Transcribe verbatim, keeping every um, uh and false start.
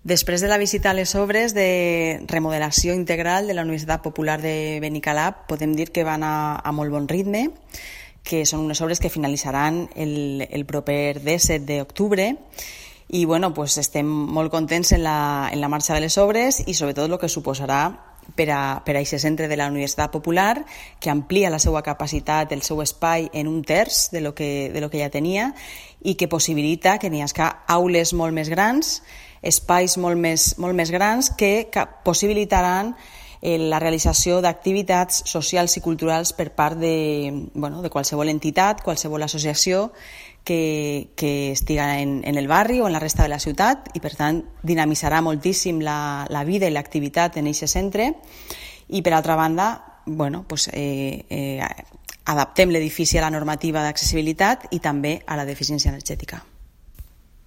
Després de la visita a les obres de remodelació integral de la Universitat Popular de Benicalap, podem dir que van a, a molt bon ritme, que són unes obres que finalitzaran el, el proper disset d'octubre i bueno, pues estem molt contents en la, en la marxa de les obres i sobretot el que suposarà per a, per a aquest centre de la Universitat Popular, que amplia la seva capacitat, el seu espai en un terç de lo que, de lo que ja tenia i que possibilita que n'hi hagi aules molt més grans, espais molt més, molt més grans que possibilitaran la realització d'activitats socials i culturals per part de, bueno, de qualsevol entitat, qualsevol associació que, que estiga en, en el barri o en la resta de la ciutat i, per tant, dinamitzarà moltíssim la, la vida i l'activitat en aquest centre. I, per altra banda, bueno, pues, eh, eh, adaptem l'edifici a la normativa d'accessibilitat i també a la d'eficiència energètica.